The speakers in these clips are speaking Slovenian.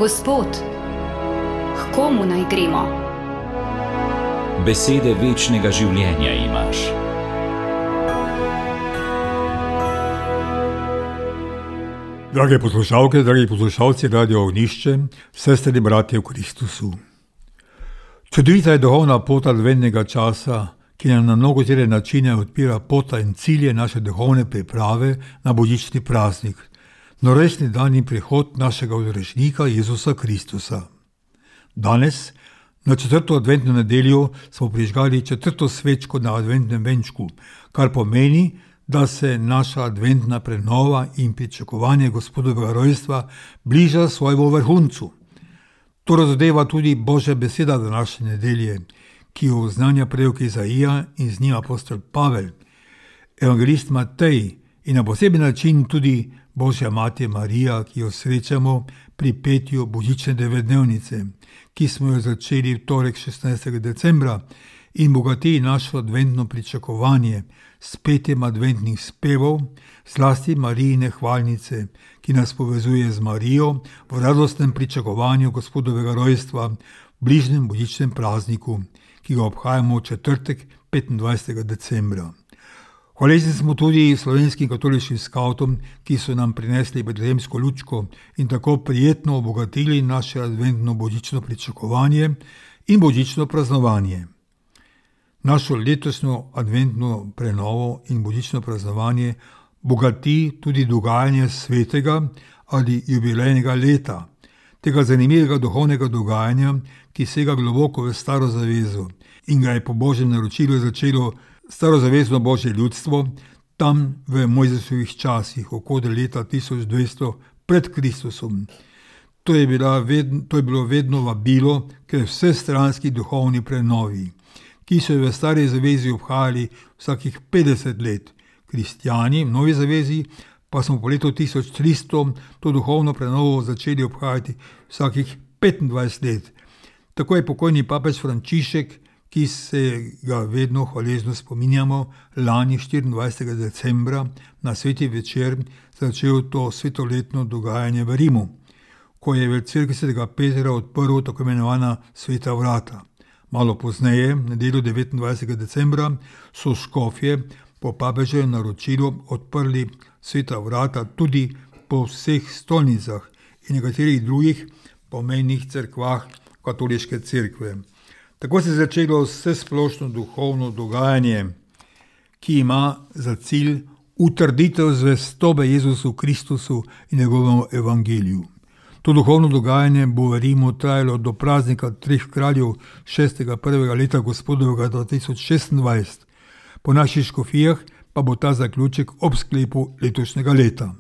Gospod, k komu naj gremo? Besede večnega življenja imaš. Drage poslušalke, dragi poslušalci Radio Ognjišče, sestre in bratje v Kristusu. Čudovita je duhovna pot adventnega časa, ki nam na mnogotere načine odpira pota in cilje naše duhovne priprave na božični praznik, norečni dan in prihod našega odrešnika Jezusa Kristusa. Danes, na 4. adventno nedeljo, smo prižgali 4. svečko na adventnem venčku, kar pomeni, da se naša adventna prenova in pričakovanje Gospodovega rojstva bliža svojemu vrhuncu. To razodeva tudi Božja beseda današnje nedelje, ki jo oznanja prorok Izaija in z njim apostol Pavel, evangelist Matej in na poseben način tudi Božja mati Marija, ki jo srečamo pri petju božične devetdnevnice, ki smo jo začeli v torek 16. decembra in bogati našo adventno pričakovanje s petjem adventnih spevov, zlasti Marijine hvalnice, ki nas povezuje z Marijo v radostnem pričakovanju Gospodovega rojstva v bližnjem božičnem prazniku, ki ga obhajamo v četrtek 25. decembra. Hvaležni smo tudi slovenskim katoliškim skavtom, ki so nam prinesli betlehemsko lučko in tako prijetno obogatili naše adventno božično pričakovanje in božično praznovanje. Našo letošnjo adventno prenovo in božično praznovanje bogati tudi dogajanje svetega ali jubilejnega leta, tega zanimivega duhovnega dogajanja, ki sega globoko v staro zavezo in ga je po Božjem naročilu začelo starozavezno Božje ljudstvo tam v Mojzesovih časih, okoli leta 1200 pred Kristusom. To je bilo vedno vabilo k vsestranski duhovni prenovi, ki so v stari zavezi obhajali vsakih 50 let. Kristjani v novi zavezi pa smo po letu 1300 to duhovno prenovo začeli obhajati vsakih 25 let. Tako je pokojni papež Frančišek, ki se ga vedno hvaležno spominjamo, lani 24. decembra na sveti večer začel to svetoletno dogajanje v Rimu, ko je v cerkvi svetega Petra odprl tako imenovana sveta vrata. Malo pozneje, nedeljo 29. decembra, so škofje po papeževem naročilu odprli sveta vrata tudi po vseh stolnicah in nekaterih drugih pomembnih cerkvah katoliške cerkve. Tako se je začelo vsesplošno duhovno dogajanje, ki ima za cilj utrditev zvestobe Jezusu Kristusu in njegovemu evangeliju. To duhovno dogajanje bo v Rimu trajalo do praznika Treh kraljev 6.1. leta Gospodovega 2026. Po naših škofijah pa bo ta zaključek ob sklepu letošnjega leta.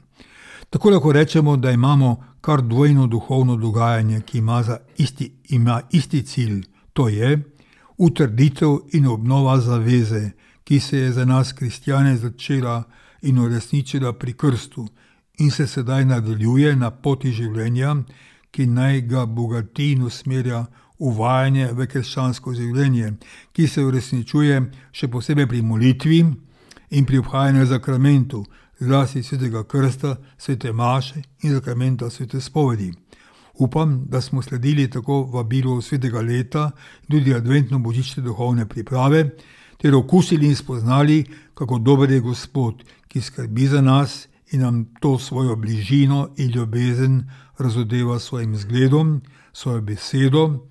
Tako lahko rečemo, da imamo kar dvojno duhovno dogajanje, ki ima isti cilj. To je utrditev in obnova zaveze, ki se je za nas kristjane začela in uresničila pri krstu in se sedaj nadaljuje na poti življenja, ki naj ga bogati in usmerja uvajanje v krščansko življenje, ki se uresničuje še posebej pri molitvi in pri obhajanju zakramentu, zlasti svetega krsta, svete maše in zakramenta svete spovedi. Upam, da smo sledili tako vabilu svetega leta in tudi adventno božične duhovne priprave, ter okusili in spoznali, kako dober je Gospod, ki skrbi za nas in nam to svojo bližino in ljubezen razodeva svojim zgledom, svojo besedo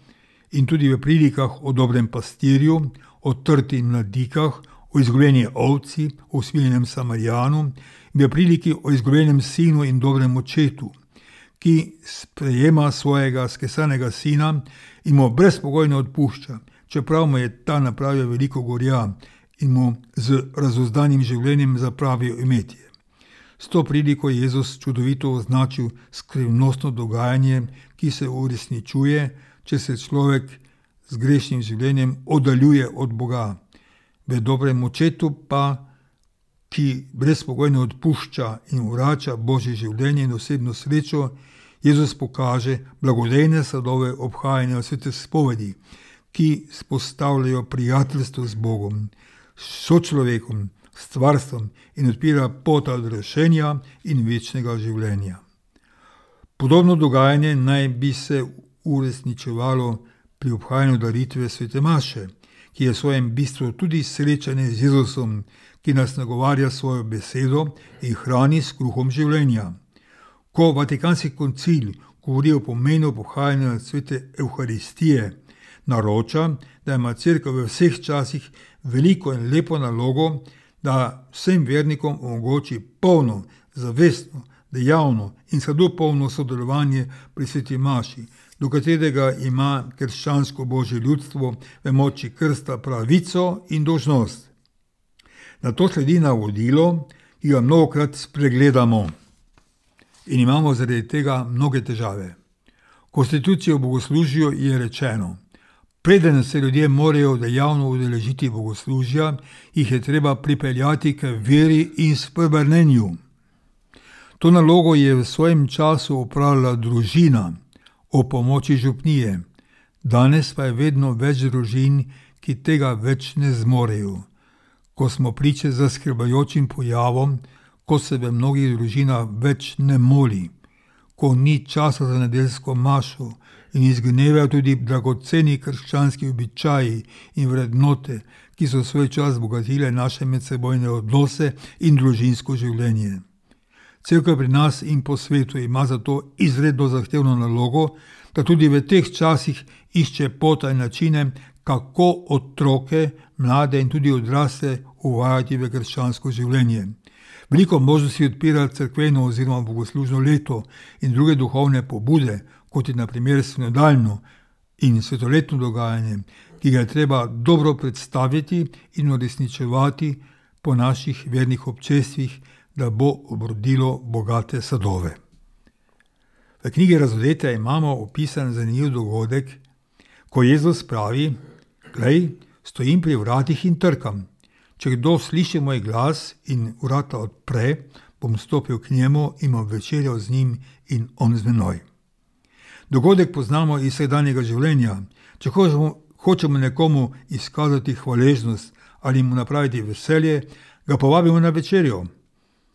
in tudi v prilikah o dobrem pastirju, o trti mladikah, o izgubljeni ovci, o usmiljenem Samarijanu in v priliki o izgubljenem sinu in dobrem očetu, ki sprejema svojega skesanega sina in mu brezpogojno odpušča, čeprav mu je ta napravil veliko gorja in mu z razuzdanim življenjem zapravil imetje. S to priliko je Jezus čudovito označil skrivnostno dogajanje, ki se uresničuje, če se človek z grešnim življenjem oddaljuje od Boga. V dobrem očetu pa, ki brezpogojno odpušča in vrača Božje življenje in osebno srečo, Jezus pokaže blagodejne sadove obhajanja svete spovedi, ki spostavljajo prijateljstvo z Bogom, s sočlovekom, s stvarstvom in odpira pot odrešenja in večnega življenja. Podobno dogajanje naj bi se uresničevalo pri obhajanju daritve svete maše, ki je v svojem bistvu tudi srečanje z Jezusom, ki nas nagovarja svojo besedo in hrani s kruhom življenja. Ko Vatikanski koncil govori o pomenu pohajanja svete Evharistije, naroča, da ima Cerkev v vseh časih veliko in lepo nalogo, da vsem vernikom omogoči polno, zavestno, dejavno in sadopolno sodelovanje pri sveti maši, do katerega ima krščansko božje ljudstvo v moči krsta pravico in dolžnost. Na to sledi navodilo, ki ga mnogokrat spregledamo in imamo zaradi tega mnoge težave. Konstitucijo bogoslužja je rečeno: preden se ljudje morajo dejavno udeležiti bogoslužja, jih je treba pripeljati k veri in spreobrnenju. To nalogo je v svojem času opravljala družina o pomoči župnije. Danes pa je vedno več družin, ki tega več ne zmorejo. Ko smo priče zaskrbljujočim pojavom, ko se v mnogih družinah več ne moli, ko ni časa za nedeljsko mašo in izginevajo tudi dragoceni krščanski običaji in vrednote, ki so svoj čas bogatile naše medsebojne odnose in družinsko življenje. Cerkev pri nas in po svetu ima zato izredno zahtevno nalogo, da tudi v teh časih išče pota in načine, kako otroke, mlade in tudi odrasle uvajati v krščansko življenje. Veliko možnosti odpira cerkveno oziroma bogoslužno leto in druge duhovne pobude, kot je na primer sinodalno in svetoletno dogajanje, ki ga je treba dobro predstaviti in uresničevati po naših vernih občestvih, da bo obrodilo bogate sadove. V knjigi Razodete imamo opisan zanimiv dogodek, ko Jezus pravi: glej, stojim pri vratih in trkam. Če kdo sliši moj glas in vrata odpre, bom stopil k njemu in bom večerjal z njim in on z menoj. Dogodek poznamo iz vsakdanjega življenja. Če hočemo nekomu izkazati hvaležnost ali mu napraviti veselje, ga povabimo na večerjo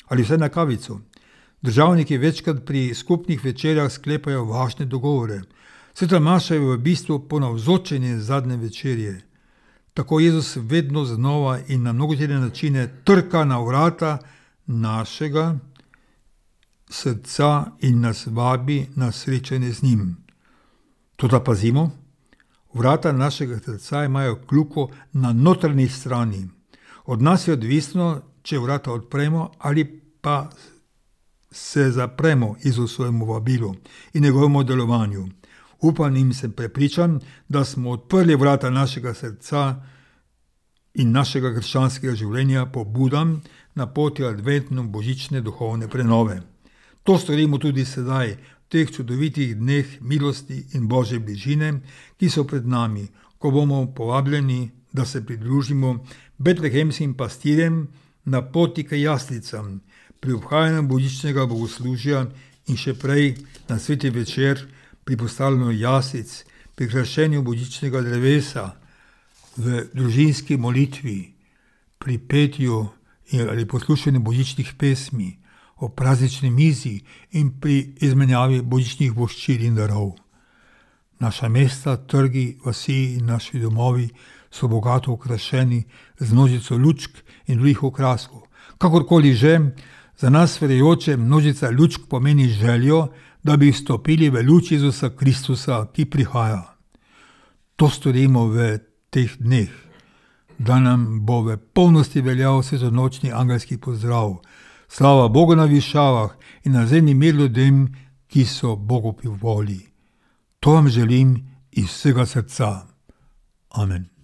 ali vsaj na kavico. Državniki večkrat pri skupnih večerjah sklepajo važne dogovore. Sveta maša je v bistvu ponavzočenje zadnje večerje. Tako Jezus vedno znova in na mnogotere načine trka na vrata našega srca in nas vabi na srečanje z njim. Toda pazimo, vrata našega srca imajo kljuko na notranji strani. Od nas je odvisno, če vrata odpremo ali pa se zapremo Jezusovemu vabilu in njegovemu delovanju. Upam in sem prepričan, da smo odprli vrata našega srca in našega krščanskega življenja pobudam na poti adventno-božične duhovne prenove. To storimo tudi sedaj, v teh čudovitih dneh milosti in Božje bližine, ki so pred nami, ko bomo povabljeni, da se pridružimo betlehemskim pastirjem na poti k jaslicam, pri obhajanju božičnega bogoslužja in še prej na sveti večer pri postavljanju jaslic, pri krašenju božičnega drevesa, v družinski molitvi, pri petju ali poslušanju božičnih pesmi, o praznični mizi in pri izmenjavi božičnih voščil in darov. Naša mesta, trgi, vasi in naši domovi so bogato okrašeni z množico lučk in drugih okraskov. Kakorkoli že, za nas verujoče množica lučk pomeni željo, da bi vstopili v luč Jezusa Kristusa, ki prihaja. To storimo v teh dneh, da nam bo v polnosti veljal svetonočni angelski pozdrav. Slava Bogu na višavah in na zemlji mir ljudem, ki so Bogu pri volji. To vam želim iz vsega srca. Amen.